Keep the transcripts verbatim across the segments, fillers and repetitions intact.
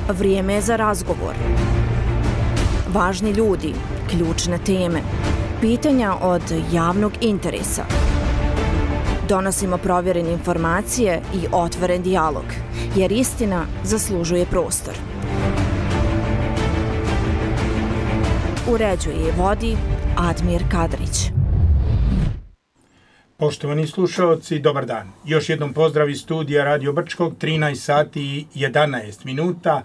Vrijeme je za razgovor. Važni ljudi, ključne teme, pitanja od javnog interesa. Donosimo provjerene informacije i otvoren dijalog, jer istina zaslužuje prostor. Uređuje i vodi Admir Kadrić. Poštovani slušalci, dobar dan. Još jednom pozdrav iz studija Radio Brčkog, trinaest sati i jedanaest minuta.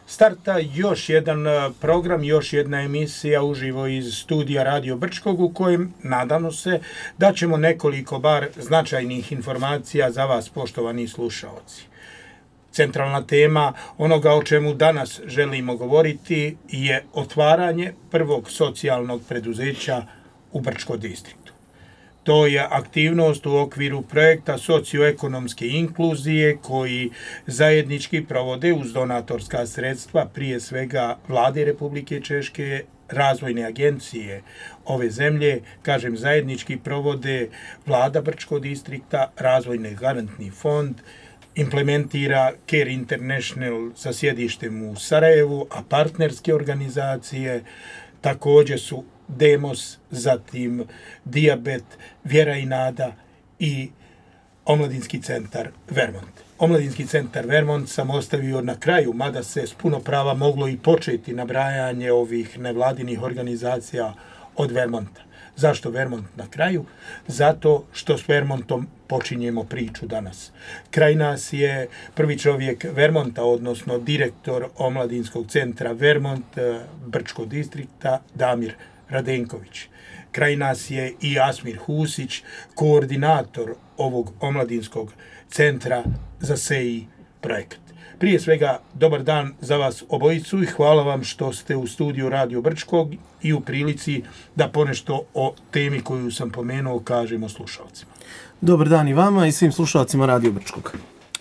Starta još jedan program, još jedna emisija uživo iz studija Radio Brčkog u kojem nadamo se da ćemo nekoliko bar značajnih informacija za vas, poštovani slušalci. Centralna tema onoga o čemu danas želimo govoriti je otvaranje prvog socijalnog preduzeća u Brčko distriktu. To je aktivnost u okviru projekta socioekonomske inkluzije koji zajednički provode uz donatorska sredstva, prije svega Vlade Republike Češke, razvojne agencije ove zemlje, kažem zajednički provode Vlada Brčko distrikta, Razvojni garantni fond, implementira Care International sa sjedištem u Sarajevu, a partnerske organizacije također su Demos, zatim Dijabet, Vjera i nada i Omladinski centar Vermont. Omladinski centar Vermont sam ostavio na kraju, mada se s puno prava moglo i početi nabrajanje ovih nevladinih organizacija od Vermonta. Zašto Vermont na kraju? Zato što s Vermontom počinjemo priču danas. Kraj nas je prvi čovjek Vermonta, odnosno direktor Omladinskog centra Vermont, Brčko distrikta, Damir Radenković. Kraj nas je i Asmir Husić, koordinator ovog omladinskog centra za S E I projekat. Prije svega, dobar dan za vas obojicu i hvala vam što ste u studiju Radio Brčkog i u prilici da ponešto o temi koju sam pomenuo kažemo slušalcima. Dobar dan i vama i svim slušalcima Radio Brčkog.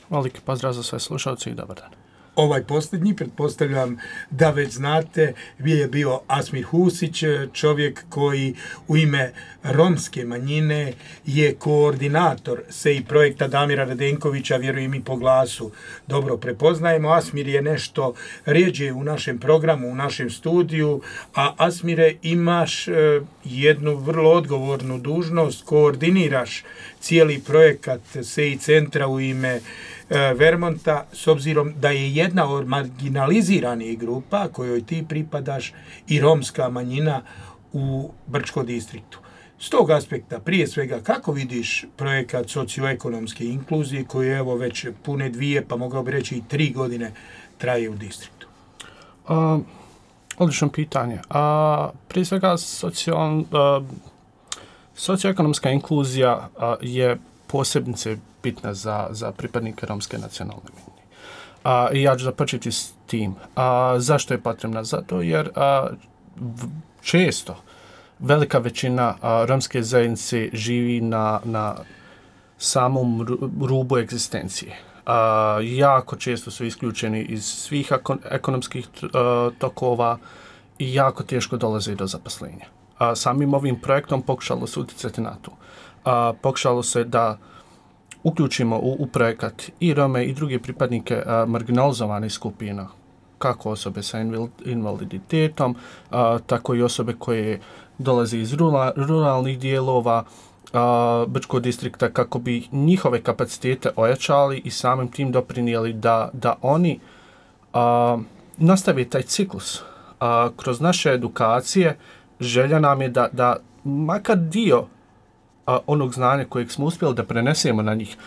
Veliki pozdrav za sve slušalce i dobar dan. Ovaj posljednji, pretpostavljam da već znate, je bio Asmir Husić, čovjek koji u ime romske manjine je koordinator S E I projekta Damira Radenkovića, vjerujem i po glasu dobro prepoznajemo. Asmir je nešto rijeđe u našem programu, u našem studiju, a Asmire imaš jednu vrlo odgovornu dužnost, koordiniraš cijeli projekat S E I centra u ime Vermonta, s obzirom da je jedna od marginaliziranih grupa kojoj ti pripadaš i romska manjina u Brčko distriktu. S tog aspekta, prije svega, kako vidiš projekat socioekonomske inkluzije koji je evo već pune dvije, pa mogao bi reći i tri godine traje u distriktu? Uh, odlično pitanje. Uh, prije svega, socijal, uh, socioekonomska inkluzija uh, je posebnice bitna za, za pripadnike romske nacionalne manjine. A, I ja ću započeti s tim. A, zašto je potrebna? Zato jer a, v, često velika većina a, romske zajednice živi na, na samom rubu egzistencije. A, jako često su isključeni iz svih ekonomskih a, tokova i jako teško dolaze do zaposlenja. A, samim ovim projektom pokušalo se utjecati na to. A, pokušalo se da uključimo u, u projekat i Rome i druge pripadnike a, marginalizovanih skupina, kako osobe sa invaliditetom, a, tako i osobe koje dolaze iz rura, ruralnih dijelova a, Brčkog distrikta, kako bi njihove kapacitete ojačali i samim tim doprinijeli da, da oni a, nastave taj ciklus. A, kroz naše edukacije želja nam je da, da makar dio A, onog znanja kojeg smo uspjeli da prenesemo na njih.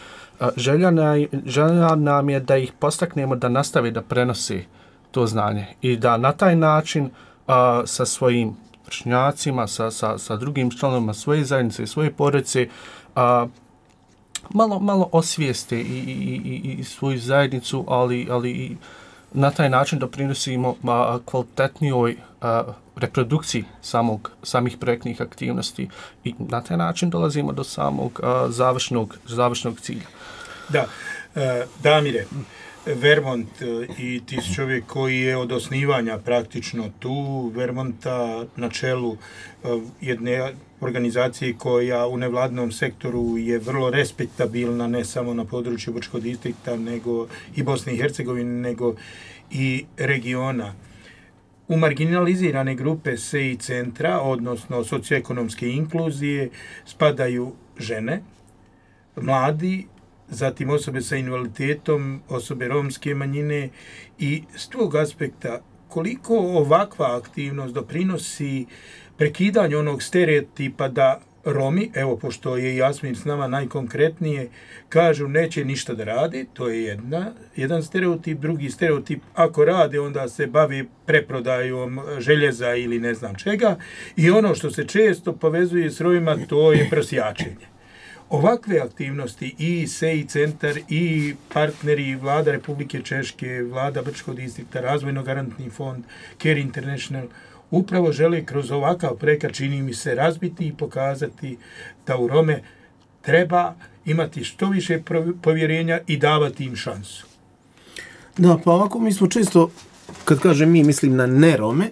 A, želja, na, želja nam je da ih postaknemo da nastave da prenose to znanje i da na taj način a, sa svojim vršnjacima, sa, sa, sa drugim članovima svoje zajednice i svoje porodice a, malo, malo osvijeste i, i, i, i svoju zajednicu, ali, ali i na taj način doprinosimo a, kvalitetnijoj a, reprodukciji samog, samih projektnih aktivnosti i na taj način dolazimo do samog a, završnog, završnog cilja. Da, e, Damire, Vermont i ti si čovjek koji je od osnivanja praktično tu, Vermonta na čelu jedne organizacije koja u nevladnom sektoru je vrlo respektabilna, ne samo na području Brčkog distrikta, nego i Bosne i Hercegovine, nego i regiona. U marginalizirane grupe S E I centra, odnosno socioekonomske inkluzije, spadaju žene, mladi, zatim osobe sa invaliditetom, osobe romske manjine i s tog aspekta koliko ovakva aktivnost doprinosi prekidanju onog stereotipa da Romi, evo pošto je Jasmin s nama najkonkretnije, kažu neće ništa da radi, to je jedna, jedan stereotip, drugi stereotip, ako rade onda se bavi preprodajom željeza ili ne znam čega i ono što se često povezuje s Romima to je prosjačenje. Ovakve aktivnosti i S E I centar i partneri Vlada Republike Češke, Vlada Brčkog distrikta, Razvojno garantni fond, Care International, upravo žele kroz ovakav projekat, čini mi se, razbiti i pokazati da u Rome treba imati što više povjerenja i davati im šansu. Da, pa ovako mi smo često, kad kažem mi, mislim na ne Rome,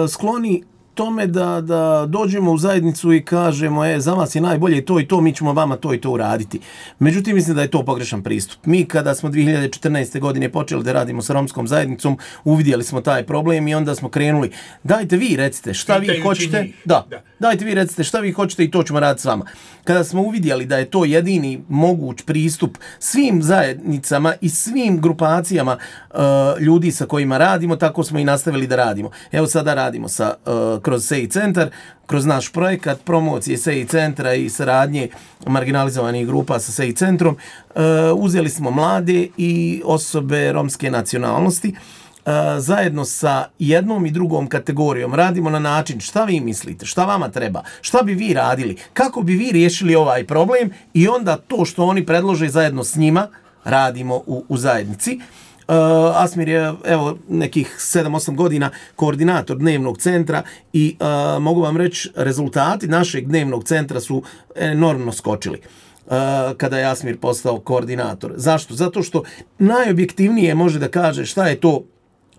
skloni tome da, da dođemo u zajednicu i kažemo, e, za vas je najbolje to i to, mi ćemo vama to i to uraditi. Međutim, mislim da je to pogrešan pristup. Mi kada smo dvije hiljade četrnaeste. godine počeli da radimo sa romskom zajednicom, uvidjeli smo taj problem i onda smo krenuli, dajte vi recite šta vi hoćete, da, da, dajte vi recite šta vi hoćete i to ćemo raditi s vama. Kada smo uvidjeli da je to jedini moguć pristup svim zajednicama i svim grupacijama uh, ljudi sa kojima radimo, tako smo i nastavili da radimo. Evo sada radimo sa uh, kroz S E I centar, kroz naš projekat promocije S E I centra i saradnje marginalizovanih grupa sa S E I centrom, uh, uzeli smo mlade i osobe romske nacionalnosti. Uh, zajedno sa jednom i drugom kategorijom radimo na način šta vi mislite, šta vama treba, šta bi vi radili, kako bi vi riješili ovaj problem i onda to što oni predlože zajedno s njima radimo u, u zajednici. Uh, Asmir je evo nekih sedam osam godina koordinator dnevnog centra i uh, mogu vam reći rezultati našeg dnevnog centra su enormno skočili uh, kada je Asmir postao koordinator. Zašto? Zato što najobjektivnije može da kaže šta je to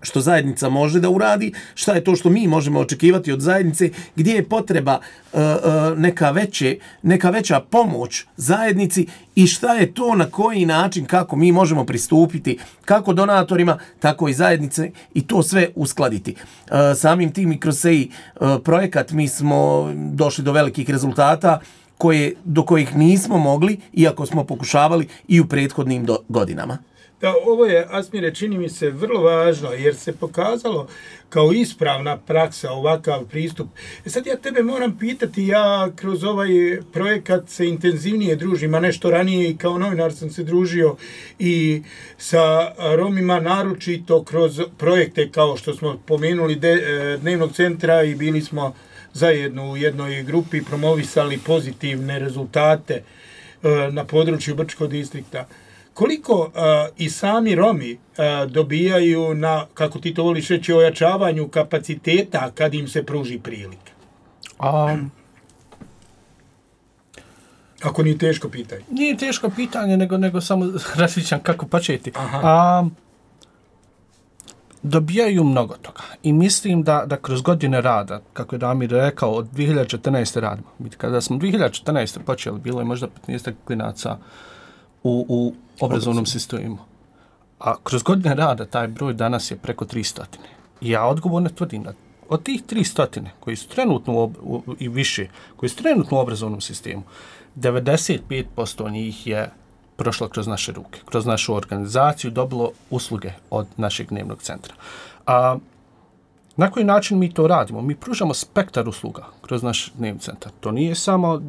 što zajednica može da uradi, šta je to što mi možemo očekivati od zajednice, gdje je potreba uh, uh, neka, veće, neka veća pomoć zajednici i šta je to na koji način, kako mi možemo pristupiti, kako donatorima, tako i zajednice i to sve uskladiti. Uh, samim tim i kroz S E I uh, projekat mi smo došli do velikih rezultata koje, do kojih nismo mogli, iako smo pokušavali i u prethodnim do, godinama. Da, ovo je, Asmire, čini mi se vrlo važno, jer se pokazalo kao ispravna praksa ovakav pristup. E sad ja tebe moram pitati, ja kroz ovaj projekat se intenzivnije družim, a nešto ranije i kao novinar sam se družio i sa Romima, naročito kroz projekte kao što smo pomenuli de, dnevnog centra i bili smo zajedno u jednoj grupi, promovisali pozitivne rezultate na području Brčkog distrikta. Koliko uh, i sami Romi uh, dobijaju na, kako ti to voliš reći, ojačavanju kapaciteta kad im se pruži prilike? Um, Ako nije teško pitanje. Nije teško pitanje, nego, nego samo različan kako početi. Um, dobijaju mnogo toga. I mislim da, da kroz godine rada, kako je Damir rekao, od dvije hiljade četrnaeste. radimo. Kada smo dvije hiljade četrnaeste. počeli, bilo je možda petnaest klinaca u, u obrazovnom sistemu. A kroz godine rada taj broj danas je preko tristo. I ja odgovorno tvrdim da od tih tristo koji su trenutno u, u, i više, koji su trenutno u obrazovnom sistemu, devedeset pet posto njih je prošlo kroz naše ruke, kroz našu organizaciju, dobilo usluge od našeg dnevnog centra. A na koji način mi to radimo? Mi pružamo spektar usluga kroz naš dnevni centar. To nije samo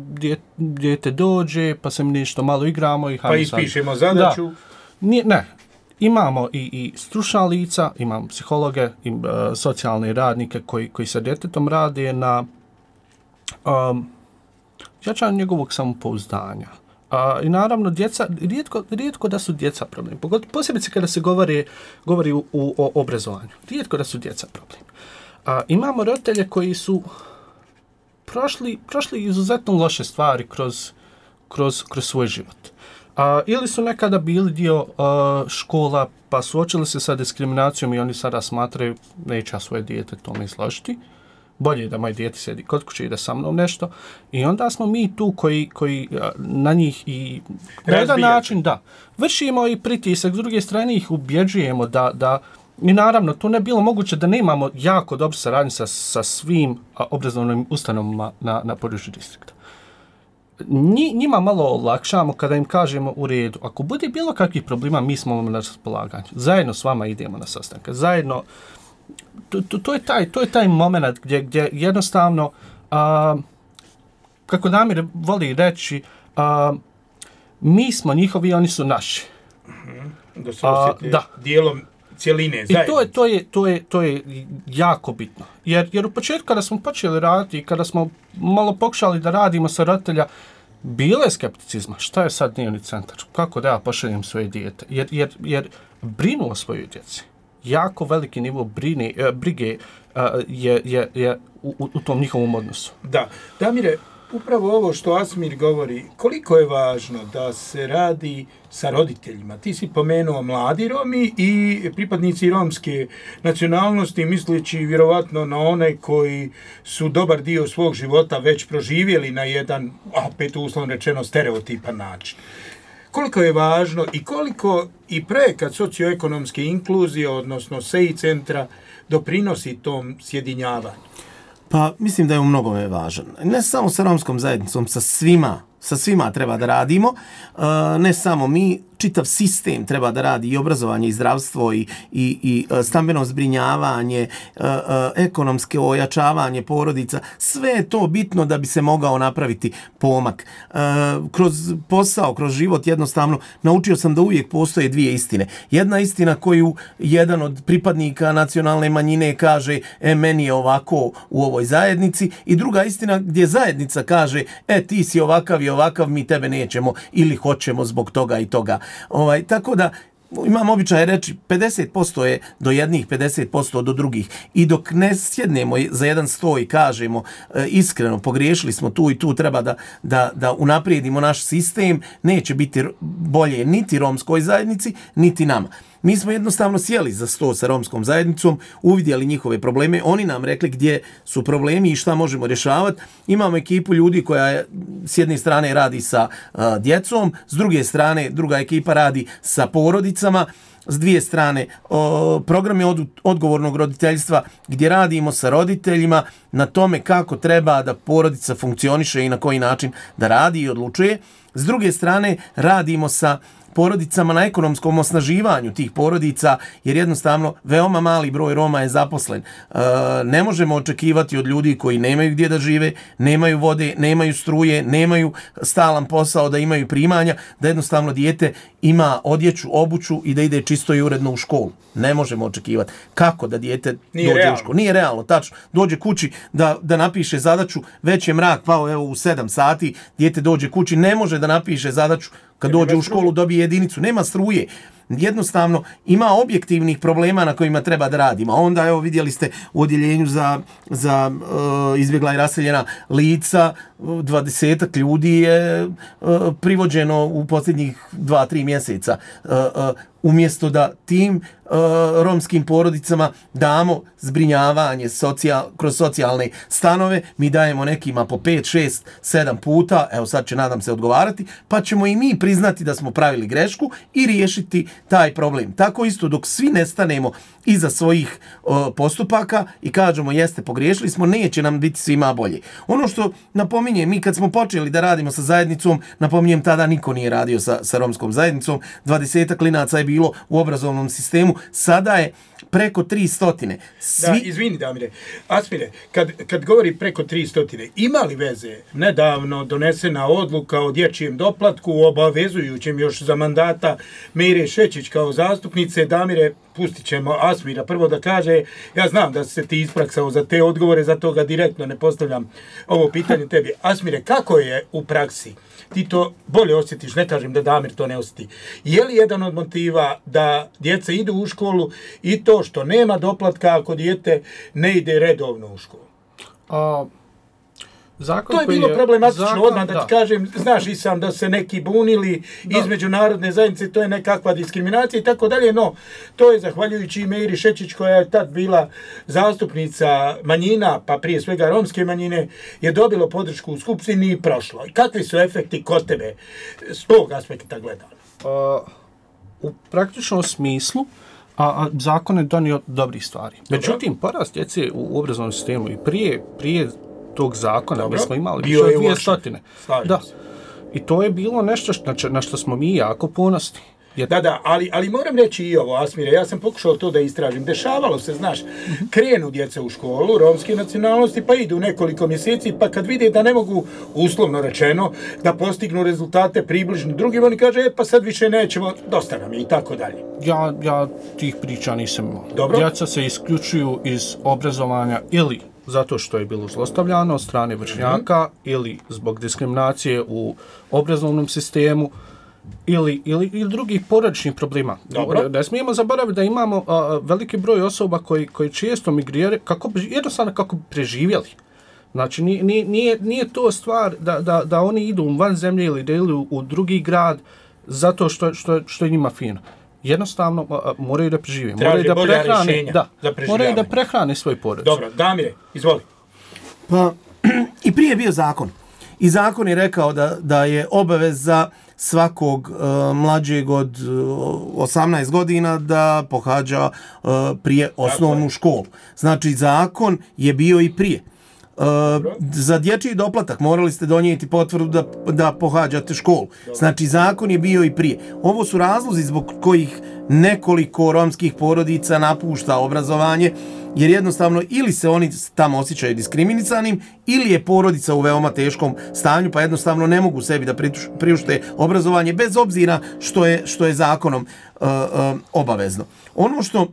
dijete dođe, pa se mi nešto malo igramo i pa ispišemo zadaću. Nije, ne. Imamo i, i stručna lica, imamo psihologe, i, uh, socijalne radnike koji, koji sa djetetom rade na um, jačanju njegovog samopouzdanja. Uh, I naravno, djeca, rijetko, rijetko da su djeca problem. Posebice kada se govori, govori u, u, o obrazovanju. Rijetko da su djeca problem. Uh, imamo roditelje koji su prošli, prošli izuzetno loše stvari kroz, kroz, kroz svoj život. Uh, ili su nekada bili dio uh, škola pa suočili se sa diskriminacijom i oni sada smatraju neće svoje dijete tome izložiti. Bolje da moje dijete sedi kod kuće i da sa mnom nešto. I onda smo mi tu koji, koji uh, na njih i na jedan način da, vršimo i pritisak, s druge strane ih ubjeđujemo da, da I naravno, tu ne bilo moguće da nemamo jako dobru saradnju sa, sa svim a, obrazovnim ustanovama na, na području distrikta. Nji, njima malo olakšamo kada im kažemo u redu. Ako bude bilo kakvih problema, mi smo vam na raspolaganju. Zajedno s vama idemo na sastanke. Zajedno, to, to, to, je, taj, to je taj moment gdje, gdje jednostavno, a, kako Damir voli reći, a, mi smo njihovi, oni su naši. Da se osjeti da. Dijelom cijeline zajednice. I to je, to je, to je, to je jako bitno. Jer, jer u početku kada smo počeli raditi i kada smo malo pokušali da radimo sa roditelja, bilo je skepticizma. Šta je sad dnevni centar? Kako da ja pošaljem svoje dijete? Jer, jer, jer brinu o svojoj djeci. Jako veliki nivo brine, brige je, je, je u, u tom njihovom odnosu. Da. Damire, upravo ovo što Asmir govori, koliko je važno da se radi sa roditeljima. Ti si pomenuo mladi Romi i pripadnici romske nacionalnosti, misleći vjerovatno na one koji su dobar dio svog života već proživjeli na jedan, opet uslovno rečeno, stereotipan način. Koliko je važno i koliko i projekat socioekonomske inkluzije, odnosno S E I centra, doprinosi tom sjedinjavanju? Pa mislim da je u mnogome važan. Ne samo sa romskom zajednicom, sa svima, sa svima treba da radimo. Uh, ne samo mi, čitav sistem treba da radi i obrazovanje i zdravstvo i, i, i stambeno zbrinjavanje, uh, uh, ekonomske ojačavanje porodica. Sve je to bitno da bi se mogao napraviti pomak. Uh, kroz posao, kroz život jednostavno naučio sam da uvijek postoje dvije istine. Jedna istina koju jedan od pripadnika nacionalne manjine kaže e, meni je ovako u ovoj zajednici i druga istina gdje zajednica kaže e, ti si ovakav i ovakav, mi tebe nećemo ili hoćemo zbog toga i toga. Ovaj, tako da imam običaj reći pedeset posto je do jednih, pedeset posto do drugih. I dok ne sjednemo za jedan sto i kažemo e, iskreno pogriješili smo tu i tu, treba da, da, da unaprijedimo naš sistem, neće biti bolje niti romskoj zajednici, niti nama. Mi smo jednostavno sjeli za sto sa romskom zajednicom, uvidjeli njihove probleme, oni nam rekli gdje su problemi i šta možemo rješavati. Imamo ekipu ljudi koja je, s jedne strane radi sa uh, djecom, s druge strane druga ekipa radi sa porodicama, s dvije strane o, programe od, odgovornog roditeljstva gdje radimo sa roditeljima na tome kako treba da porodica funkcioniše i na koji način da radi i odlučuje. S druge strane radimo sa porodicama na ekonomskom osnaživanju tih porodica, jer jednostavno veoma mali broj Roma je zaposlen. E, ne možemo očekivati od ljudi koji nemaju gdje da žive, nemaju vode, nemaju struje, nemaju stalan posao, da imaju primanja, da jednostavno dijete ima odjeću, obuću i da ide čisto i uredno u školu. Ne možemo očekivati. Kako da dijete Nije dođe realno. u školu? Nije realno, tačno. Dođe kući da, da napiše zadaću, već je mrak pao evo u sedam sati, dijete dođe kući, ne može da napiše zadaću kad dođe u školu, dobije jedinicu, nema struje. Jednostavno ima objektivnih problema na kojima treba da radimo. A onda evo vidjeli ste u odjeljenju za, za uh, izbjegla i raseljena lica, dvadesetak ljudi je uh, privođeno u posljednjih dva, tri mjeseca. Uh, uh, umjesto da tim uh, romskim porodicama damo zbrinjavanje socijal, kroz socijalne stanove, mi dajemo nekima po pet, šest, sedam puta, evo sad će nadam se odgovarati, pa ćemo i mi priznati da smo pravili grešku i riješiti taj problem. Tako isto dok svi ne stanemo iza svojih uh, postupaka i kažemo jeste pogriješili smo, neće nam biti svima bolje. Ono što napominjem, mi kad smo počeli da radimo sa zajednicom, napominjem tada niko nije radio sa, sa romskom zajednicom, dvadesetak klinaca je bilo u obrazovnom sistemu, sada je preko tri stotine. Svi... Da, izvini Damire, Asmire, kad, kad govori preko tri stotine, ima li veze nedavno donesena odluka o dječjem doplatku, obavezujućem još za mandata Mejre Šećić kao zastupnice? Damire, pustit ćemo Asmira prvo da kaže, ja znam da se ti ispraksao za te odgovore, zato ga direktno ne postavljam ovo pitanje tebi. Asmire, kako je u praksi? Ti to bolje osjetiš, ne kažem da Damir to ne osjeti. Je li jedan od motiva da djeca idu u školu i to što nema doplatka ako dijete ne ide redovno u školu? A, zakon to je bilo je, problematično zakon, odmah da, da ti kažem, znaš i sam da se neki bunili da. Između narodne zajednice, to je nekakva diskriminacija i tako dalje, no to je zahvaljujući Mejri Šećić koja je tad bila zastupnica manjina, pa prije svega romske manjine, je dobilo podršku u skupštini i prošlo. I kakvi su efekti kod tebe s tog aspekta gledano? Uh, u praktičnom smislu A, a zakon je donio dobrih stvari. Međutim, porast djece u obrazovnom sistemu i prije, prije tog zakona Dobro. mi smo imali Bio više je od dvije loše. stotine. Slažem Da. se. I to je bilo nešto što, na, na što smo mi jako ponosni. Jer Da, da, ali, ali moram reći i ovo, Asmire, ja sam pokušao to da istražim. Dešavalo se, znaš, krenu djeca u školu, romske nacionalnosti, pa idu nekoliko mjeseci, pa kad vide da ne mogu, uslovno rečeno, da postignu rezultate približno drugim, oni kaže, e, pa sad više nećemo, dosta nam je i tako dalje. ja, ja tih priča nisam imao. Dobro. Djeca se isključuju iz obrazovanja ili zato što je bilo zlostavljano od strane vršnjaka mm-hmm. ili zbog diskriminacije u obrazovnom sistemu ili, ili, ili drugih porodičnih problema. Dobro. Ne smijemo zaboraviti da imamo a, veliki broj osoba koji, koji često migriraju kako bi, jednostavno kako bi preživjeli. Znači, nije, nije, nije to stvar da, da, da oni idu van zemlje ili da idu u drugi grad zato što, što, što je njima fino. Jednostavno a, moraju da prežive. Traže moraju da bolja prehrane, rješenja da, za preživljavanje. moraju da prehrane svoj porodicu. Dobro, Damire, izvoli. Pa, i prije je bio zakon. I zakon je rekao da, da je obaveza svakog uh, mlađeg od uh, osamnaest godina da pohađa uh, prije osnovnu školu. Znači, zakon je bio i prije. Uh, za dječji doplatak morali ste donijeti potvrdu da, da pohađate školu. Znači, zakon je bio i prije. Ovo su razlozi zbog kojih nekoliko romskih porodica napušta obrazovanje, jer jednostavno ili se oni tamo osjećaju diskriminisanim, ili je porodica u veoma teškom stanju, pa jednostavno ne mogu sebi da priušte obrazovanje, bez obzira što je, što je zakonom uh, uh, obavezno. Ono što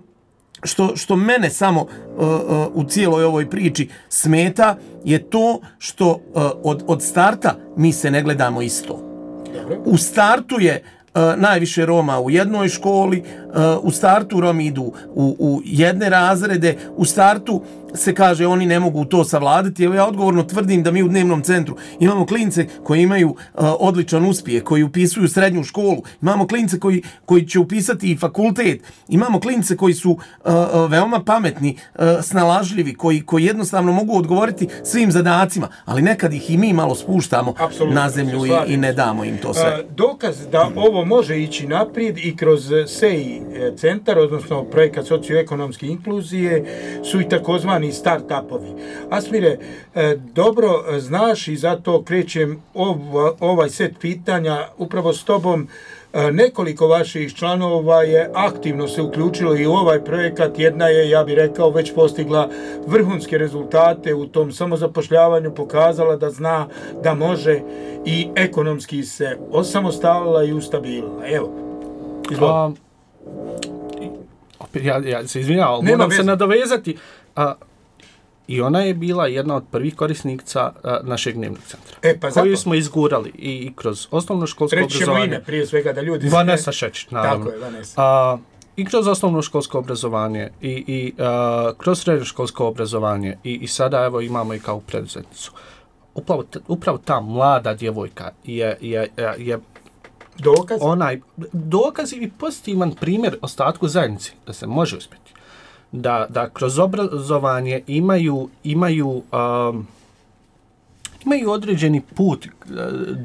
Što, što mene samo uh, uh, u cijeloj ovoj priči smeta je to što uh, od, od starta mi se ne gledamo isto. U startu je uh, najviše Roma u jednoj školi, uh, u startu Romi idu u, u jedne razrede, u startu se kaže oni ne mogu to savladati. Evo ja odgovorno tvrdim da mi u dnevnom centru imamo klince koji imaju uh, odličan uspjeh, koji upisuju srednju školu, imamo klince koji, koji će upisati i fakultet, imamo klince koji su uh, veoma pametni, uh, snalažljivi, koji, koji jednostavno mogu odgovoriti svim zadacima, ali nekad ih i mi malo spuštamo Apsolutno, na zemlju i, i ne damo im to sve. Uh, dokaz da ovo može ići naprijed i kroz S E I centar, odnosno projekat socioekonomske inkluzije, su i takozvani start-upovi. Asmire, dobro znaš i zato krećem ovaj set pitanja upravo s tobom. Nekoliko vaših članova je aktivno se uključilo i u ovaj projekat. Jedna je, ja bih rekao, već postigla vrhunske rezultate u tom samozapošljavanju, pokazala da zna da može i ekonomski se osamostalila i ustabilila. Evo, izvoli. Ja, ja se izvinjavam, moram veze. se nadovezati. A, I ona je bila jedna od prvih korisnica a, našeg dnevnog centra. E, pa koju zato. smo izgurali i, i kroz osnovno školsko Reći ćemo obrazovanje. ime prije svega da ljudi... Vanessa Šečić, naravno. Tako je, Vanessa. A, I kroz osnovno školsko obrazovanje i, i a, kroz srednje školsko obrazovanje i, i sada evo imamo i kao preduzetnicu. Upravo, upravo ta mlada djevojka je, je, je, je dokaz? Onaj, dokaz i pozitivan primjer ostatku zajednici da se može uspjeti. Da, da kroz obrazovanje imaju, imaju, um, imaju određeni put uh,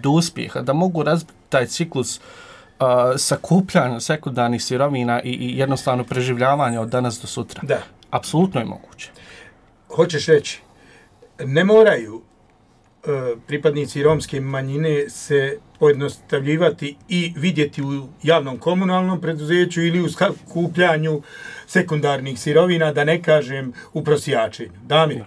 do uspjeha, da mogu razbiti taj ciklus uh, sakupljanja sekundarnih sirovina i, i jednostavno preživljavanja od danas do sutra. Da. Apsolutno je moguće. Hoćeš reći, ne moraju uh, pripadnici romske manjine se pojednostavljivati i vidjeti u javnom komunalnom preduzeću ili u skupljanju sekundarnih sirovina, da ne kažem u prosjačenju. Damir,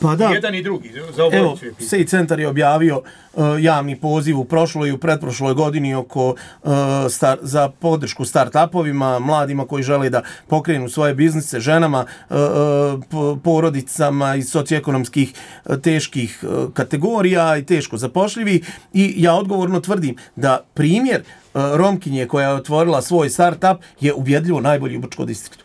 pa da. Jedan i drugi, za obojicu je pitanje. S E I centar je objavio uh, javni poziv u prošloj i u pretprošloj godini oko, uh, star, za podršku start-upovima, mladima koji žele da pokrenu svoje biznise, ženama, uh, uh, porodicama iz socioekonomskih uh, teških uh, kategorija i teško zapošljivi. I ja odgovorno tvrdim da primjer uh, Romkinje koja je otvorila svoj start-up je ubjedljivo najbolji u Brčkom distriktu.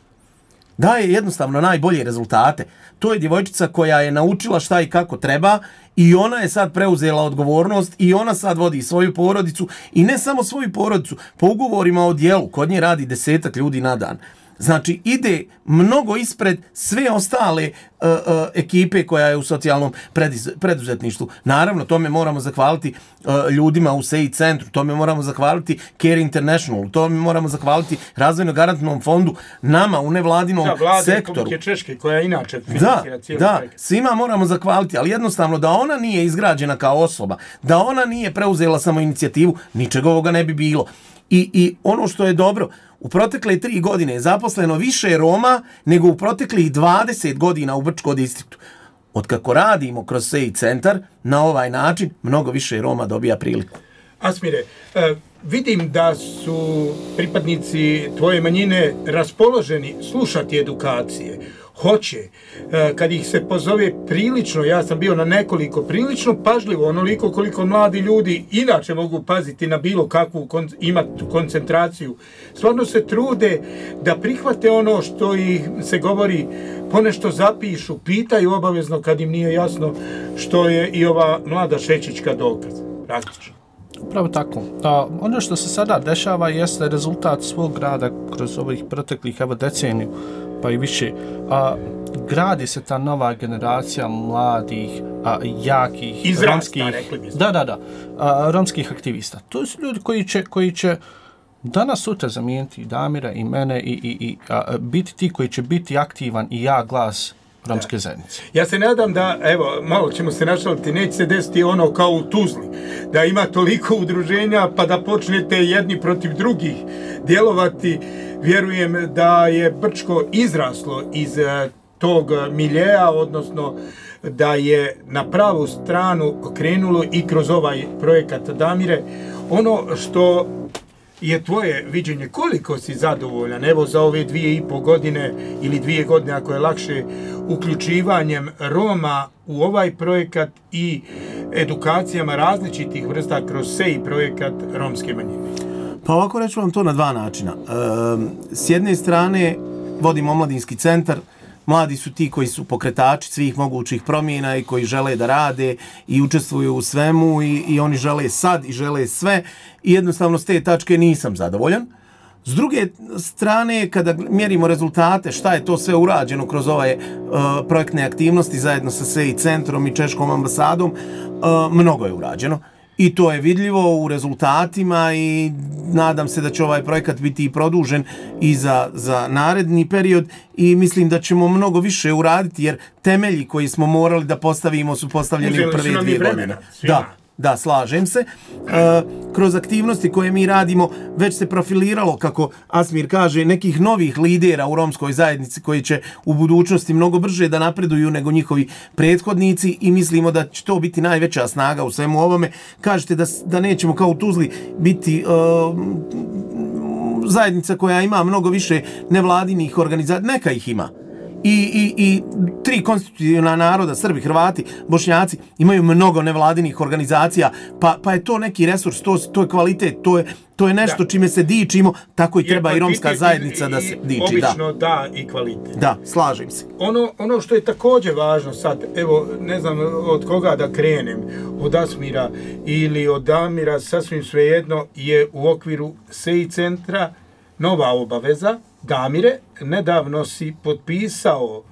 Daje jednostavno najbolje rezultate. To je djevojčica koja je naučila šta i kako treba i ona je sad preuzela odgovornost i ona sad vodi svoju porodicu i ne samo svoju porodicu, po ugovorima o djelu, kod nje radi desetak ljudi na dan. Znači, ide mnogo ispred sve ostale uh, uh, ekipe koja je u socijalnom prediz, preduzetništvu. Naravno, tome moramo zahvaliti uh, ljudima u S E I centru, tome moramo zahvaliti Care International, tome moramo zahvaliti Razvojno-garantnom fondu, nama u nevladinom da, vlade sektoru. Republike Češke, koja inače financira cijeli da, projekt. Svima moramo zahvaliti, ali jednostavno da ona nije izgrađena kao osoba, da ona nije preuzela samo inicijativu, ničeg ovoga ne bi bilo. I, I ono što je dobro, u protekle tri godine je zaposleno više Roma nego u proteklih dvadeset godina u Brčkom distriktu. Otkako radimo kroz S E I centar, na ovaj način mnogo više Roma dobija priliku. Asmire, eh, vidim da su pripadnici tvoje manjine raspoloženi slušati edukacije. Hoće, eh, kad ih se pozove prilično, ja sam bio na nekoliko, prilično pažljivo, onoliko koliko mladi ljudi inače mogu paziti na bilo kakvu, kon, imati koncentraciju. Stvarno se trude da prihvate ono što ih se govori, ponešto zapišu, pitaju obavezno kad im nije jasno, što je i ova mlada Šečićka dokaz, praktično. Upravo tako. A, ono što se sada dešava jeste rezultat svog rada kroz ovih proteklih evo deceniju, pa i više. A, gradi se ta nova generacija mladih, a, jakih, Izrasta, romskih, rekli bismo. da, da, da, a, romskih aktivista. To su ljudi koji će, koji će danas sutra zamijeniti i Damira i mene i, i, i a, biti ti koji će biti aktivan i ja glas romske zajednice. Ja se nadam da, evo, malo ćemo se našaliti, neće se desiti ono kao u Tuzli, da ima toliko udruženja pa da počnete jedni protiv drugih djelovati. Vjerujem da je Brčko izraslo iz tog miljeja, odnosno da je na pravu stranu krenulo i kroz ovaj projekat. Damire, ono što je tvoje viđenje, koliko si zadovoljan, evo za ove dvije i pol godine ili dvije godine ako je lakše, uključivanjem Roma u ovaj projekat i edukacijama različitih vrsta kroz S E I projekat romske manjine? Pa ovako reću vam to na dva načina. E, s jedne strane vodimo omladinski centar, mladi su ti koji su pokretači svih mogućih promjena i koji žele da rade i učestvuju u svemu i, i oni žele sad i žele sve i jednostavno s te tačke nisam zadovoljan. S druge strane, kada mjerimo rezultate, šta je to sve urađeno kroz ove uh, projektne aktivnosti zajedno sa S E I centrom i Češkom ambasadom, uh, mnogo je urađeno. I to je vidljivo u rezultatima i nadam se da će ovaj projekat biti i produžen i za, za naredni period i mislim da ćemo mnogo više uraditi jer temelji koji smo morali da postavimo su postavljeni Uzeli u prve dvije godine. Da, da, slažem se. E, kroz aktivnosti koje mi radimo već se profiliralo, kako Asmir kaže, nekih novih lidera u romskoj zajednici koji će u budućnosti mnogo brže da napreduju nego njihovi prethodnici i mislimo da će to biti najveća snaga u svemu ovome. Kažete da, da nećemo kao u Tuzli biti uh, zajednica koja ima mnogo više nevladinih organizacija, neka ih ima. I, i, i tri konstitutivna naroda, Srbi, Hrvati, Bošnjaci, imaju mnogo nevladinih organizacija, pa, pa je to neki resurs, to, to je kvalitet, to je, to je nešto da. Čime se dičimo, tako i treba i romska zajednica da se diči. Obično da. da i kvalitet. Da, slažem se. Ono, ono što je također važno sad, evo, ne znam od koga da krenem, od Asmira ili od Damira, sasvim svejedno, je u okviru S E I centra nova obaveza. Damire, nedavno si potpisao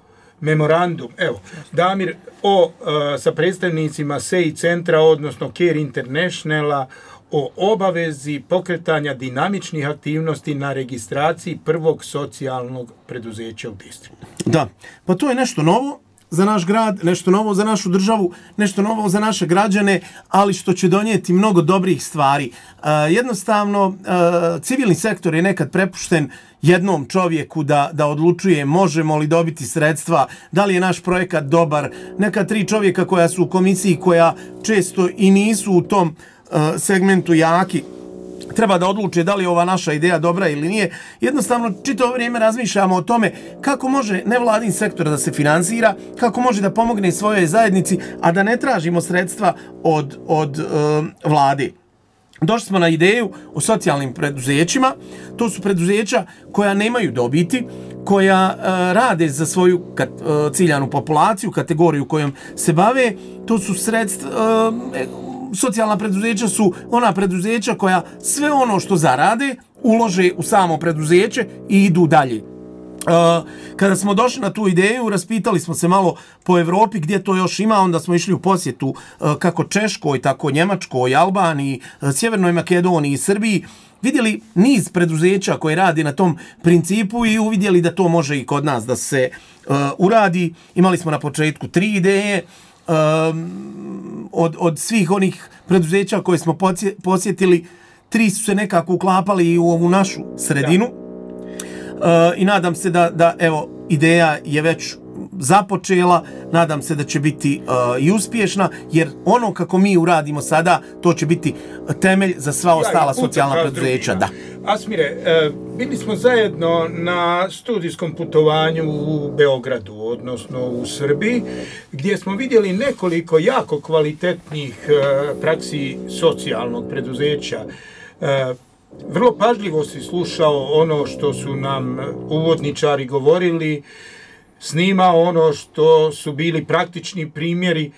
memorandum, evo, Damir, o, uh, sa predstavnicima S E I centra, odnosno Care Internationala, o obavezi pokretanja dinamičnih aktivnosti na registraciji prvog socijalnog preduzeća u distriktu. Da, pa to je nešto novo za naš grad, nešto novo za našu državu, nešto novo za naše građane, ali što će donijeti mnogo dobrih stvari. Uh, jednostavno, uh, civilni sektor je nekad prepušten jednom čovjeku da, da odlučuje možemo li dobiti sredstva, da li je naš projekat dobar. Neka tri čovjeka koja su u komisiji, koja često i nisu u tom uh, segmentu jaki, treba da odluče da li je ova naša ideja dobra ili nije. Jednostavno, čitavo vrijeme razmišljamo o tome kako može nevladin sektor da se finansira, kako može da pomogne svojoj zajednici, a da ne tražimo sredstva od, od uh, vlade. Došli smo na ideju o socijalnim preduzećima. To su preduzeća koja nemaju dobiti, koja uh, rade za svoju kat, uh, ciljanu populaciju, kategoriju kojom se bave. To su sredstva... Uh, socijalna preduzeća su ona preduzeća koja sve ono što zarade ulože u samo preduzeće i idu dalje. Uh, kada smo došli na tu ideju, raspitali smo se malo po Evropi gdje to još ima, onda smo išli u posjetu uh, kako Češkoj, tako Njemačkoj, Albaniji, uh, Sjevernoj Makedoniji i Srbiji, vidjeli niz preduzeća koje radi na tom principu i uvidjeli da to može i kod nas da se uh, uradi. Imali smo na početku tri ideje, um, od, od svih onih preduzeća koje smo posjetili, tri su se nekako uklapali i u ovu našu sredinu. Uh, I nadam se da, da evo, ideja je već započela, nadam se da će biti uh, i uspješna, jer ono kako mi uradimo sada, to će biti temelj za sva ostala ja, socijalna preduzeća. Da. Asmire, uh, bili smo zajedno na studijskom putovanju u Beogradu, odnosno u Srbiji, gdje smo vidjeli nekoliko jako kvalitetnih uh, praksi socijalnog preduzeća. Uh, Vrlo pažljivo si slušao ono što su nam uvodničari govorili, snimao ono što su bili praktični primjeri.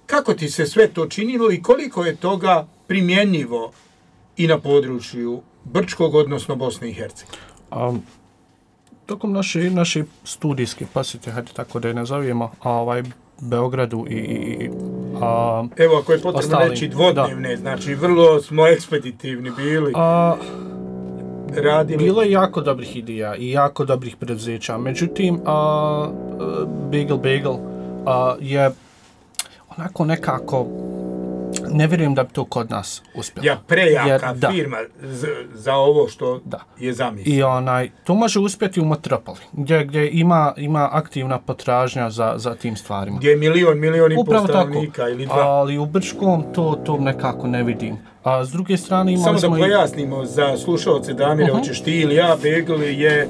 Kako ti se sve to činilo i koliko je toga primjenjivo i na području Brčkog, odnosno Bosne i Hercegovine? Um, tokom naše, naše studijske posjete, hajde tako da je nazovemo, ovaj, Beogradu i, i a, evo, ako je potrebno ostali, reći dvodnevne, da. Znači vrlo smo ekspeditivni bili, a, radili. Bilo je jako dobrih ideja i jako dobrih preduzeća, međutim a, Bagel Bagel a, je onako nekako, ne vjerujem da bi to kod nas uspjelo. Ja, prejaka jer, firma z, za ovo što da. je zamislio. I onaj, to može uspjeti u metropoli, gdje, gdje ima, ima aktivna potražnja za, za tim stvarima. Gdje je milion, milion i pol stanovnika ili dva. Ali u Brčkom to, to nekako ne vidim. A s druge strane imali Samo smo... da pojasnimo i... za slušalce, Damire, uh-huh. hoćeš ti ili ja, Bagel je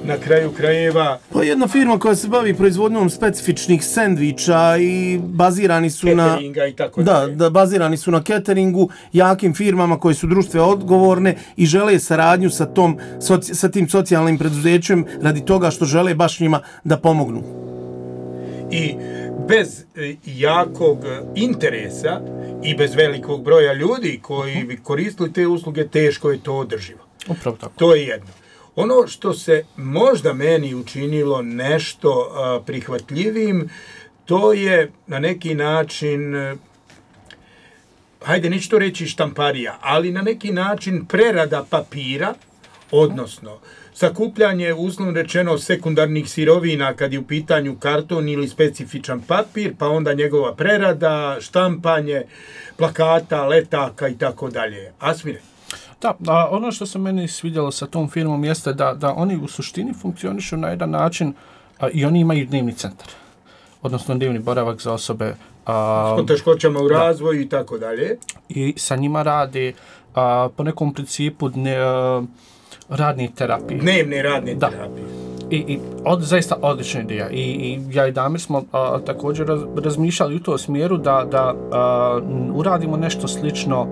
na kraju krajeva... Pa jedna firma koja se bavi proizvodnjom specifičnih sendviča i bazirani su na... Cateringa i tako da, da, bazirani su na cateringu, jakim firmama koje su društveno odgovorne i žele saradnju sa, tom, soci, sa tim socijalnim preduzećem radi toga što žele baš njima da pomognu. I bez jakog interesa i bez velikog broja ljudi koji bi koristili te usluge, teško je to održivo. Upravo tako. To je jedno. Ono što se možda meni učinilo nešto uh, prihvatljivim, to je na neki način, uh, hajde neću to reći štamparija, ali na neki način prerada papira, odnosno sakupljanje, uslovno rečeno, sekundarnih sirovina kad je u pitanju karton ili specifičan papir, pa onda njegova prerada, štampanje, plakata, letaka i tako dalje. Asmire? Da, a ono što se meni svidjelo sa tom firmom jeste da, da oni u suštini funkcionišu na jedan način a, i oni imaju dnevni centar, odnosno dnevni boravak za osobe a, s poteškoćama u razvoju i tako dalje. I sa njima rade a, po nekom principu dne, a, radne terapije. Dnevne radne da. terapije. I, i od, zaista odlična ideja. I, i ja i Damir smo a, također raz, razmišljali u tom smjeru da, da a, uradimo nešto slično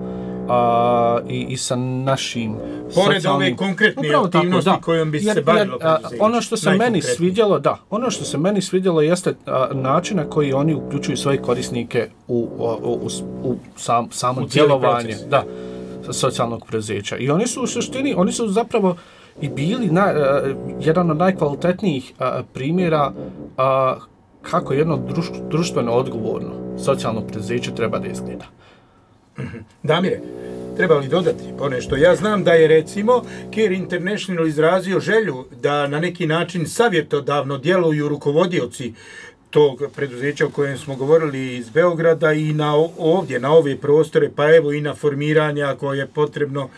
a, i, i sa našim pored ove konkretne aktivnosti tako, kojom bi jer, se bavilo preduzeće. Ono što se meni svidjelo, da, ono što se meni svidjelo jeste a, način na koji oni uključuju svoje korisnike u, u, u, u sam, samo djelovanje da, socijalnog preduzeća. I oni su u suštini, oni su zapravo i bili na, uh, jedan od najkvalitetnijih uh, primjera uh, kako jedno druš, društveno odgovorno socijalno preduzeće treba da izgleda. Damire, treba li dodati ponešto? Ja znam da je recimo Care International izrazio želju da na neki način savjetodavno djeluju rukovodioci tog preduzeća o kojem smo govorili iz Beograda i na ovdje, na ove prostore, pa evo i na formiranja koje je potrebno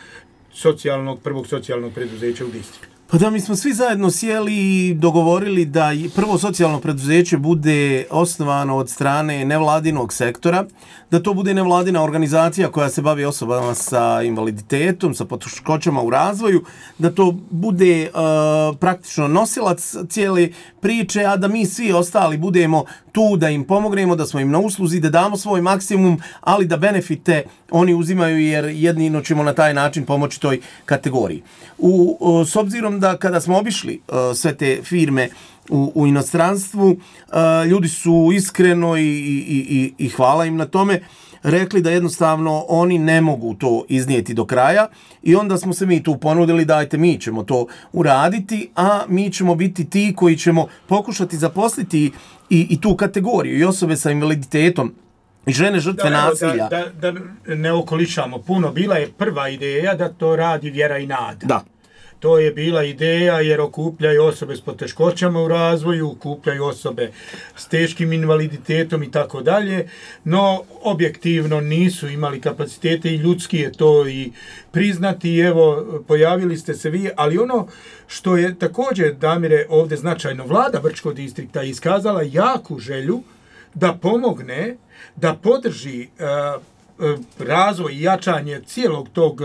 socijalnog, prvog socijalnog preduzeća u distriktu. Pa da, mi smo svi zajedno sjeli i dogovorili da prvo socijalno preduzeće bude osnovano od strane nevladinog sektora, da to bude nevladina organizacija koja se bavi osobama sa invaliditetom, sa poteškoćama u razvoju, da to bude uh, praktično nosilac cijele priče, a da mi svi ostali budemo tu da im pomognemo, da smo im na usluzi, da damo svoj maksimum, ali da benefite oni uzimaju jer jedino ćemo na taj način pomoći toj kategoriji. U, uh, s obzirom da kada smo obišli uh, sve te firme u, u inostranstvu, uh, ljudi su iskreno i, i, i, i hvala im na tome, rekli da jednostavno oni ne mogu to iznijeti do kraja i onda smo se mi tu ponudili, dajte mi ćemo to uraditi, a mi ćemo biti ti koji ćemo pokušati zaposliti i, i tu kategoriju i osobe sa invaliditetom i žene žrtve da, nasilja. Da, da, da ne okolišamo puno, bila je prva ideja da to radi Vjera i Nada. Da. To je bila ideja jer okupljaju osobe s poteškoćama u razvoju, okupljaju osobe s teškim invaliditetom i tako dalje, no objektivno nisu imali kapacitete i ljudski je to i priznati i evo pojavili ste se vi, ali ono što je također, Damire, ovdje značajno, vlada Brčkog distrikta iskazala jaku želju da pomogne, da podrži uh, razvoj i jačanje cijelog tog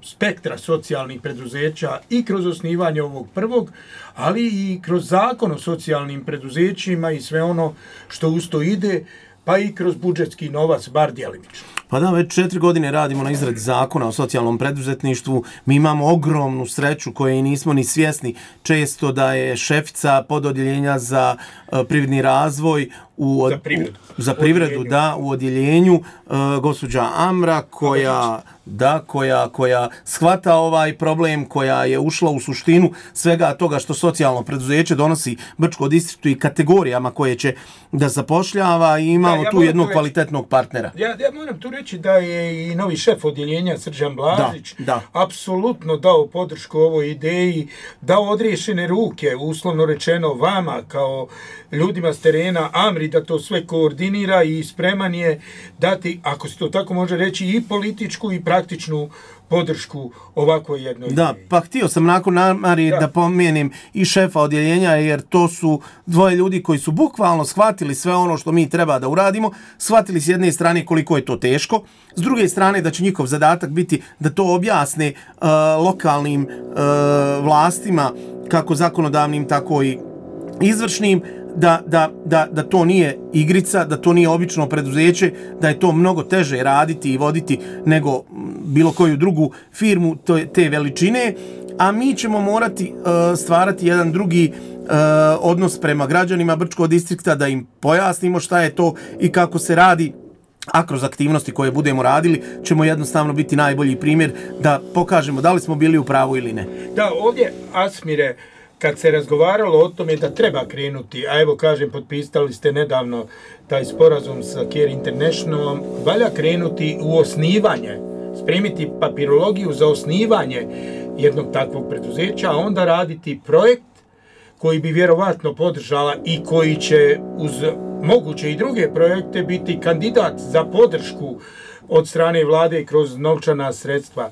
spektra socijalnih preduzeća i kroz osnivanje ovog prvog, ali i kroz zakon o socijalnim preduzećima i sve ono što uz to ide, pa i kroz budžetski novac, bar djelimično. Pa da, već četiri godine radimo na izradi zakona o socijalnom preduzetništvu. Mi imamo ogromnu sreću koje nismo ni svjesni često da je šefica pododjeljenja za uh, privredni razvoj u od, za privredu, u, za privredu da, u odjeljenju uh, gospođa Amra koja da koja koja shvata ovaj problem, koja je ušla u suštinu svega toga što socijalno preduzeće donosi Brčkom distriktu i kategorijama koje će da zapošljava i imamo da, ja tu jednog kvalitetnog partnera. Ja, ja moram tu reći da je i novi šef odjeljenja Srđan Blažić da, da. apsolutno dao podršku ovoj ideji, dao odriješene ruke, uslovno rečeno vama kao ljudima s terena, Amri da to sve koordinira i spreman je dati, ako se to tako može reći, i političku i praktičnu podršku ovakvoj jednoj da, ideji. Pa htio sam nakon Amari da, da pomenem i šefa odjeljenja, jer to su dvoje ljudi koji su bukvalno shvatili sve ono što mi treba da uradimo, shvatili s jedne strane koliko je to teško, s druge strane da će njihov zadatak biti da to objasne uh, lokalnim uh, vlastima, kako zakonodavnim, tako i izvršnim, da, da, da, da to nije igrica, da to nije obično preduzeće, da je to mnogo teže raditi i voditi nego bilo koju drugu firmu te veličine, a mi ćemo morati uh, stvarati jedan drugi uh, odnos prema građanima Brčkog distrikta, da im pojasnimo šta je to i kako se radi, a kroz aktivnosti koje budemo radili ćemo jednostavno biti najbolji primjer da pokažemo da li smo bili u pravu ili ne. Da, ovdje, Asmire, kad se razgovaralo o tome da treba krenuti, a evo kažem, potpisali ste nedavno taj sporazum sa Care Internationalom, valja krenuti u osnivanje, spremiti papirologiju za osnivanje jednog takvog preduzeća, a onda raditi projekt koji bi vjerovatno podržala i koji će uz moguće i druge projekte biti kandidat za podršku od strane vlade kroz novčana sredstva.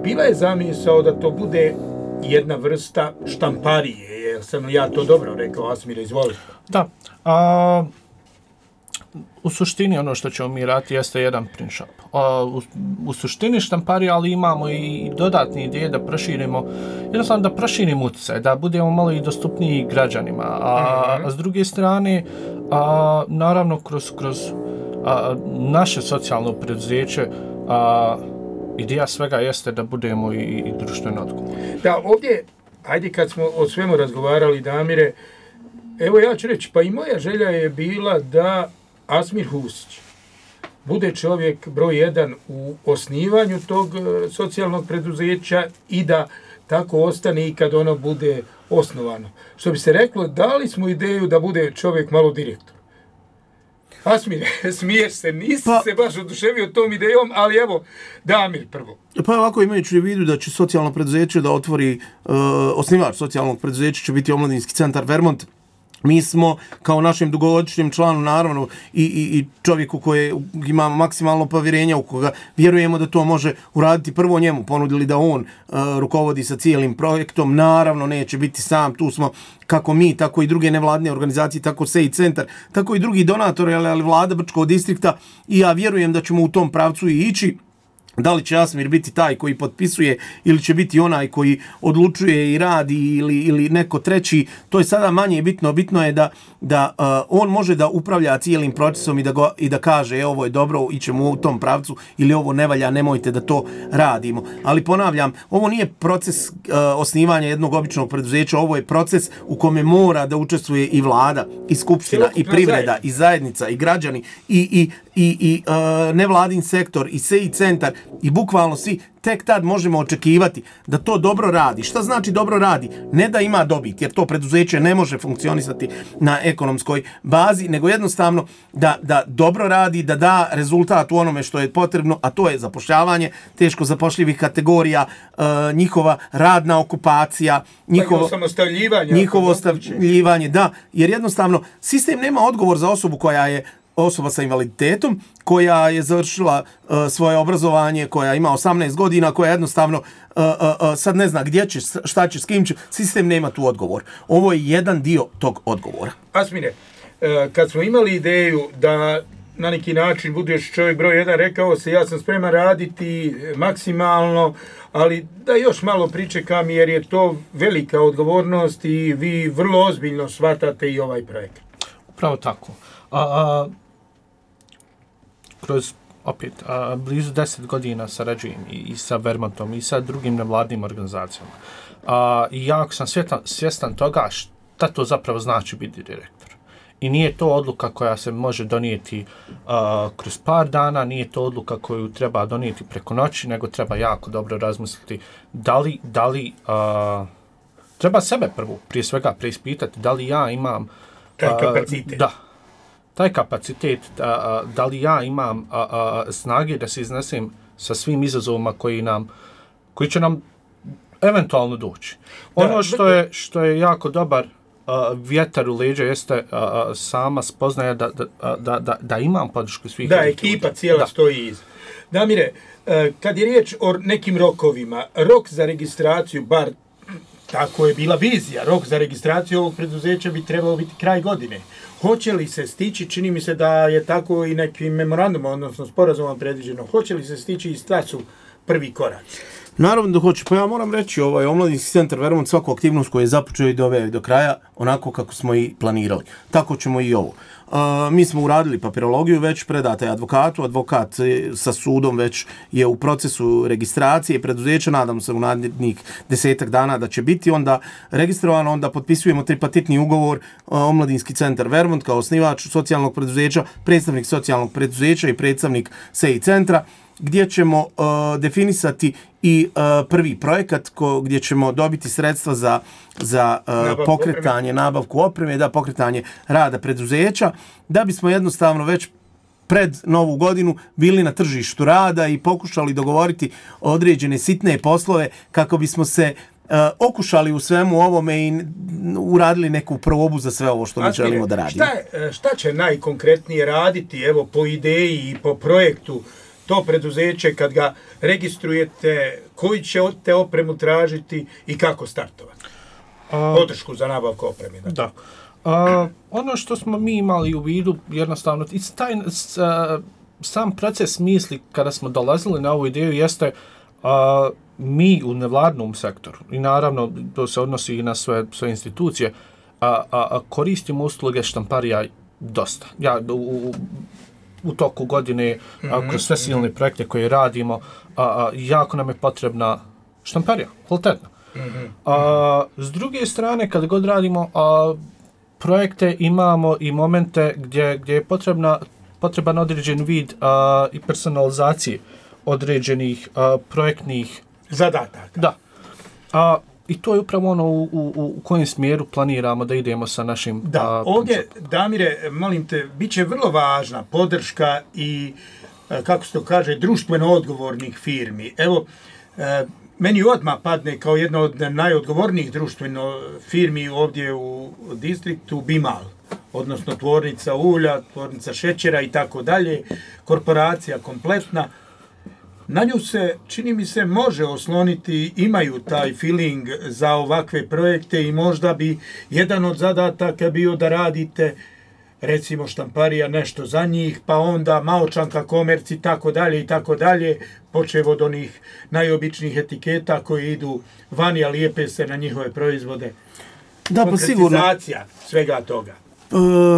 Bila je zamisao da to bude jedna vrsta štamparije, jer sam ja to dobro rekao, Asmire, izvoli. Da, a, u suštini ono što ćemo mi raditi jeste jedan print shop. A, u, u suštini štamparije, ali imamo i dodatne ideje da proširimo, jednostavno da proširimo utjecaj, da budemo malo i dostupniji građanima, a, mm-hmm. a s druge strane, a, naravno kroz, kroz a, naše socijalno preduzeće, a, ideja svega jeste da budemo i, i društveno odgovorni. Da, ovdje, ajde kad smo o svemu razgovarali, Damire, evo ja ću reći, pa i moja želja je bila da Asmir Husić bude čovjek broj jedan u osnivanju tog socijalnog preduzeća i da tako ostane i kad ono bude osnovano. Što bi se reklo, dali smo ideju da bude čovjek malo direktor. Asmir, smiješ se, nisi pa, se baš oduševio tom idejom, ali evo, Damir prvo. Pa ovako, imajući u vidu da će socijalno preduzeće da otvori, uh, osnivač socijalnog preduzeća će biti Omladinski centar Vermont. Mi smo, kao našem dugogodišnjem članu, naravno, i, i, i čovjeku koji ima maksimalno povjerenja, u koga vjerujemo da to može uraditi, prvo njemu ponudili da on uh, rukovodi sa cijelim projektom. Naravno, neće biti sam, tu smo kako mi, tako i druge nevladne organizacije, tako S E I centar, tako i drugi donatori, ali, ali vlada Brčkog distrikta, i ja vjerujem da ćemo u tom pravcu i ići. Da li će Asmir biti taj koji potpisuje ili će biti onaj koji odlučuje i radi ili, ili neko treći, to je sada manje bitno. Bitno je da, da uh, on može da upravlja cijelim procesom i da, go, i da kaže e, ovo je dobro, ićemo u tom pravcu ili ovo ne valja, nemojte da to radimo. Ali ponavljam, ovo nije proces uh, osnivanja jednog običnog preduzeća, ovo je proces u kome mora da učestvuje i vlada, i skupština, i privreda, i zajednica, i građani, i, i, i, i uh, nevladin sektor, i S E I centar, i bukvalno svi. Tek tad možemo očekivati da to dobro radi. Šta znači dobro radi? Ne da ima dobit, jer to preduzeće ne može funkcionisati na ekonomskoj bazi, nego jednostavno da, da dobro radi, da da rezultat u onome što je potrebno, a to je zapošljavanje teško zapošljivih kategorija, uh, njihova radna okupacija, njihovo samostavljivanje, njihovo stavljivanje, da, jer jednostavno sistem nema odgovor za osobu koja je osoba sa invaliditetom, koja je završila uh, svoje obrazovanje, koja ima osamnaest godina, koja jednostavno uh, uh, sad ne zna gdje će, šta će, s kim će, sistem nema tu odgovor. Ovo je jedan dio tog odgovora. Asmine, uh, kad smo imali ideju da na neki način budeš čovjek broj jedan, rekao se ja sam spreman raditi maksimalno, ali da još malo pričekam jer je to velika odgovornost i vi vrlo ozbiljno shvatate i ovaj projekt. Upravo tako. A, a, kroz opet a, blizu deset godina sarađujem i, i sa Vermontom i sa drugim nevladnim organizacijama. A, I jako sam svjetan, svjestan toga šta to zapravo znači biti direktor. I nije to odluka koja se može donijeti a, kroz par dana, nije to odluka koju treba donijeti preko noći, nego treba jako dobro razmisliti da li, da li a, treba sebe prvo, prije svega, preispitati da li ja imam taj kapacitet. Da. Taj kapacitet, da, da li ja imam a, a, snage da se iznesem sa svim izazovima koji nam, koji će nam eventualno doći. Ono da, što je što je jako dobar a, vjetar u leđa jeste a, a, sama spoznaja da, da, da, da, da imam podršku svih. Da, ekipa ljudi. Cijela da. Stoji iz. Damire, kad je riječ o nekim rokovima, rok za registraciju, bar tako je bila vizija, rok za registraciju ovog preduzeća bi trebao biti kraj godine. Hoće li se stići, čini mi se da je tako i nekim memorandumom, odnosno sporazumom predviđeno, hoće li se stići i šta su prvi koraci? Naravno da hoće, pa ja moram reći, ovaj Omladinski centar Vermont svaku aktivnost koju je započeo i doveo do kraja, onako kako smo i planirali. Tako ćemo i ovo. Uh, mi smo uradili papirologiju, već predata je advokatu, advokat sa sudom već je u procesu registracije preduzeća, nadam se u narednih desetak dana da će biti onda registrovano, onda potpisujemo tripartitni ugovor uh, Omladinski centar Vermont kao osnivač socijalnog preduzeća, predstavnik socijalnog preduzeća i predstavnik S E I centra, gdje ćemo uh, definisati i uh, prvi projekat ko, gdje ćemo dobiti sredstva za, za uh, pokretanje, opreme. nabavku opreme, da pokretanje rada preduzeća, da bismo jednostavno već pred novu godinu bili na tržištu rada i pokušali dogovoriti određene sitne poslove kako bismo se uh, okušali u svemu ovome i uradili neku probu za sve ovo što mi Asmine, želimo da radimo. Šta, šta će najkonkretnije raditi, evo, po ideji i po projektu to preduzeće kad ga registrujete, koji će od te opremu tražiti i kako startovati? Podršku za nabavku opreme. Da. da. A, ono što smo mi imali u vidu, jednostavno, taj, a, sam proces misli kada smo dolazili na ovu ideju jeste a, mi u nevladnom sektoru, i naravno to se odnosi i na sve, sve institucije, a, a, a koristimo usluge štamparija dosta. Ja u, u toku godine, mm-hmm. kroz sve silne projekte koje radimo, a, a, jako nam je potrebna štamparija, kvalitetna. Mm-hmm. A, s druge strane, kad god radimo a, projekte, imamo i momente gdje, gdje je potrebna, potreban određen vid a, i personalizacije određenih a, projektnih zadataka. Da. A, I to je upravo ono u, u, u kojem smjeru planiramo da idemo sa našim... Da, a, ovdje, principom. Damire, molim te, bit će vrlo važna podrška i, kako se to kaže, društveno odgovornih firmi. Evo, meni odmah padne kao jedna od najodgovornijih društveno firmi ovdje u distriktu Bimal, odnosno tvornica ulja, tvornica šećera i tako dalje, korporacija kompletna. Na nju se, čini mi se, može osloniti, imaju taj feeling za ovakve projekte i možda bi jedan od zadataka bio da radite recimo štamparija nešto za njih, pa onda Maočanka, Komerc i tako dalje i tako dalje, počev od onih najobičnijih etiketa koji idu vani, a lijepe se na njihove proizvode. Da, pa sigurno. Konkretizacija svega toga.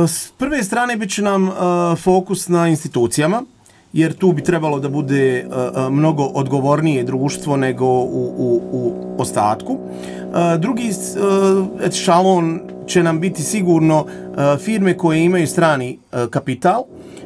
S prve strane bit će nam fokus na institucijama, jer tu bi trebalo da bude mnogo odgovornije društvo nego u, u, u ostatku. Drugi ešalon će nam biti sigurno firme koje imaju strani kapital,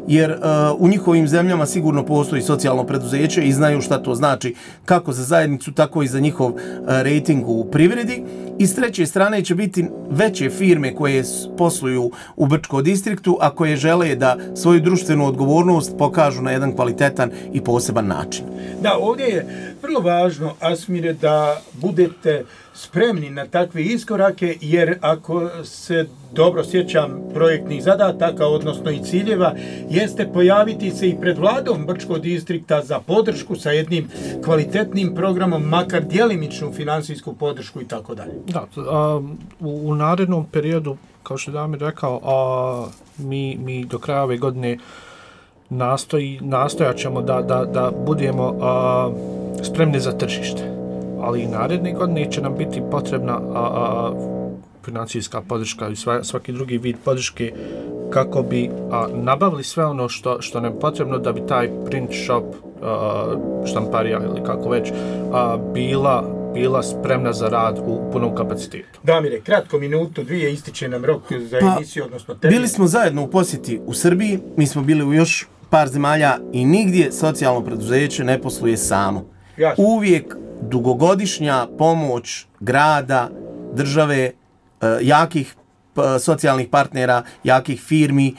jer uh, u njihovim zemljama sigurno postoji socijalno preduzeće i znaju šta to znači kako za zajednicu, tako i za njihov uh, rating u privredi. I s treće strane će biti veće firme koje posluju u Brčkom distriktu, a koje žele da svoju društvenu odgovornost pokažu na jedan kvalitetan i poseban način. Da, ovdje je vrlo važno, Asmire, da budete spremni na takve iskorake, jer ako se dobro sjećam projektnih zadataka, odnosno i ciljeva, jeste pojaviti se i pred vladom Brčkog distrikta za podršku sa jednim kvalitetnim programom, makar djelimičnu finansijsku podršku i tako dalje. Da, a, u, u narednom periodu, kao što je Damir rekao, a, mi, mi do kraja ove godine nastoji, nastojat ćemo da, da, da budemo a, spremni za tržište. Ali i naredne godine će nam biti potrebna a, a, financijska podrška i sva, svaki drugi vid podrške kako bi a, nabavili sve ono što, što nam je potrebno da bi taj print shop, a, štamparija ili kako već, a, bila, bila spremna za rad u punom kapacitetu. Damire, kratko minutu, dvije, ističe nam rok za pa, emisiju, odnosno termin. Bili smo zajedno u posjeti u Srbiji, mi smo bili u još par zemalja i nigdje socijalno preduzeće ne posluje samo. Jasno. Uvijek dugogodišnja pomoć grada, države, jakih socijalnih partnera, jakih firmi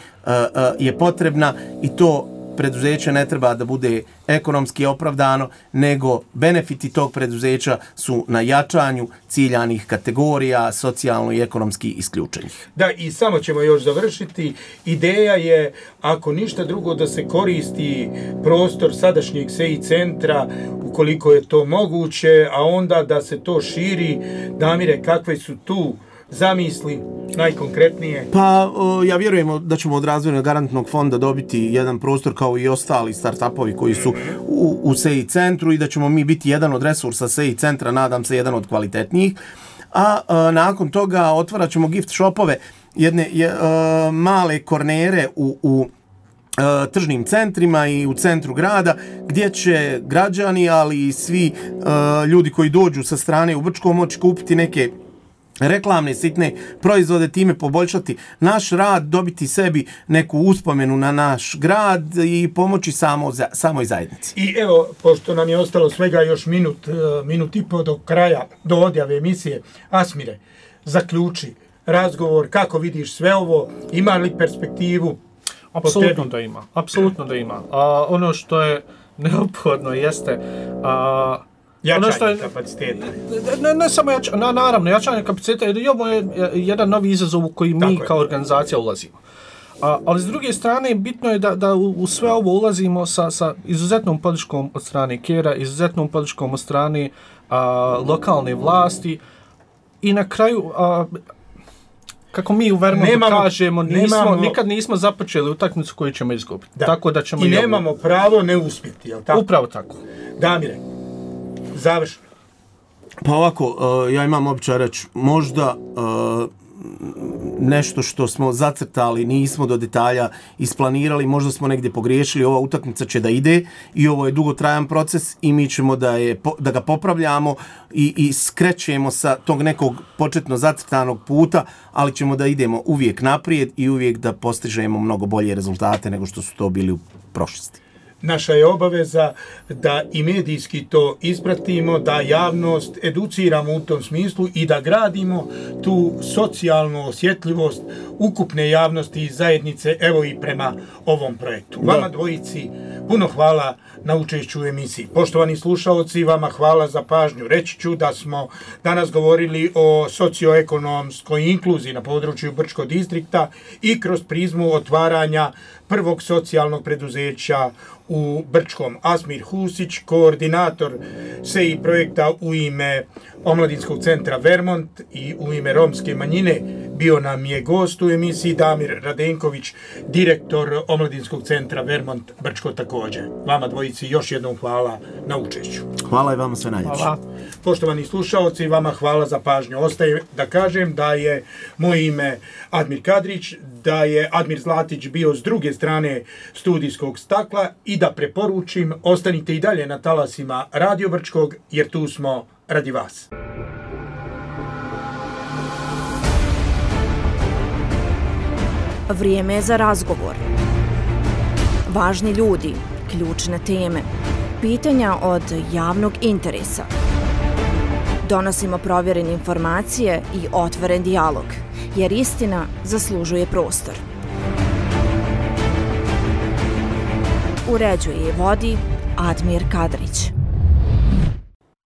je potrebna i to preduzeće ne treba da bude ekonomski opravdano, nego benefiti tog preduzeća su na jačanju ciljanih kategorija, socijalno i ekonomski isključenih. Da, i samo ćemo još završiti. Ideja je, ako ništa drugo, da se koristi prostor sadašnjeg S E I centra, ukoliko je to moguće, a onda da se to širi. Damire, kakve su tu zamisli najkonkretnije? Pa ja vjerujemo da ćemo od razvojnog garantnog fonda dobiti jedan prostor kao i ostali startupovi koji su u, u S E I centru i da ćemo mi biti jedan od resursa S E I centra, nadam se jedan od kvalitetnijih. A, a nakon toga otvarat ćemo gift shopove, jedne je, a, male kornere u, u tržnim centrima i u centru grada, gdje će građani, ali i svi a, ljudi koji dođu sa strane u Brčko moći kupiti neke reklamne sitne proizvode, time poboljšati naš rad, dobiti sebi neku uspomenu na naš grad i pomoći samo za, samoj zajednici. I evo, pošto nam je ostalo svega još minut, minut i po do kraja, do odjave emisije, Asmire, zaključi razgovor, kako vidiš sve ovo, ima li perspektivu? Apsolutno da ima, apsolutno da ima. A, ono što je neophodno jeste a, jačanje ono što je, kapaciteta. Ne, ne samo jačanje, na, naravno, jačanje kapaciteta, jer i ovo je jedan novi izazov u koji mi kao organizacija ulazimo. A, ali s druge strane, bitno je da, da u, u sve ovo ulazimo sa, sa izuzetnom podrškom od strane Kera, izuzetnom podrškom od strane a, lokalne vlasti i na kraju, a, kako mi u Vermontu nemamo, kažemo, nismo, nemamo, nikad nismo započeli utakmicu koju ćemo izgubiti. Da. Tako da ćemo I nemamo ovo pravo ne uspjeti, jel tako? Upravo tako. Damire, završno. Pa ovako, uh, ja imam običaj reći, možda uh, nešto što smo zacrtali, nismo do detalja isplanirali, možda smo negdje pogriješili, ova utakmica će da ide i ovo je dugotrajan proces i mi ćemo da, je, da ga popravljamo i, i skrećemo sa tog nekog početno zacrtanog puta, ali ćemo da idemo uvijek naprijed i uvijek da postižemo mnogo bolje rezultate nego što su to bili u prošlosti. Naša je obaveza da i medijski to ispratimo, da javnost educiramo u tom smislu i da gradimo tu socijalnu osjetljivost ukupne javnosti i zajednice, evo i prema ovom projektu. Da. Vama dvojici puno hvala na učešću u emisiji. Poštovani slušalci, vama hvala za pažnju. Reći ću da smo danas govorili o socioekonomskoj inkluziji na području Brčkog distrikta i kroz prizmu otvaranja prvog socijalnog preduzeća u Brčkom. Asmir Husić, koordinator S E I projekta u ime Omladinskog centra Vermont i u ime romske manjine bio nam je gost u emisiji Damir Radenković, direktor Omladinskog centra Vermont Brčko također. Vama dvojici još jednom hvala na učešću. Hvala i vama sve najljepše. Hvala. Poštovani slušaoci, vama hvala za pažnju. Ostaje da kažem da je moje ime Admir Kadrić, da je Admir Zlatić bio s druge strane studijskog stakla i da preporučim, ostanite i dalje na talasima Radio Brčkog jer tu smo radi vas. Vrijeme je za razgovor. Važni ljudi, ključne teme, pitanja od javnog interesa. Donosimo provjerene informacije i otvoren dijalog, jer istina zaslužuje prostor. Uređuje i vodi Admir Kadrić.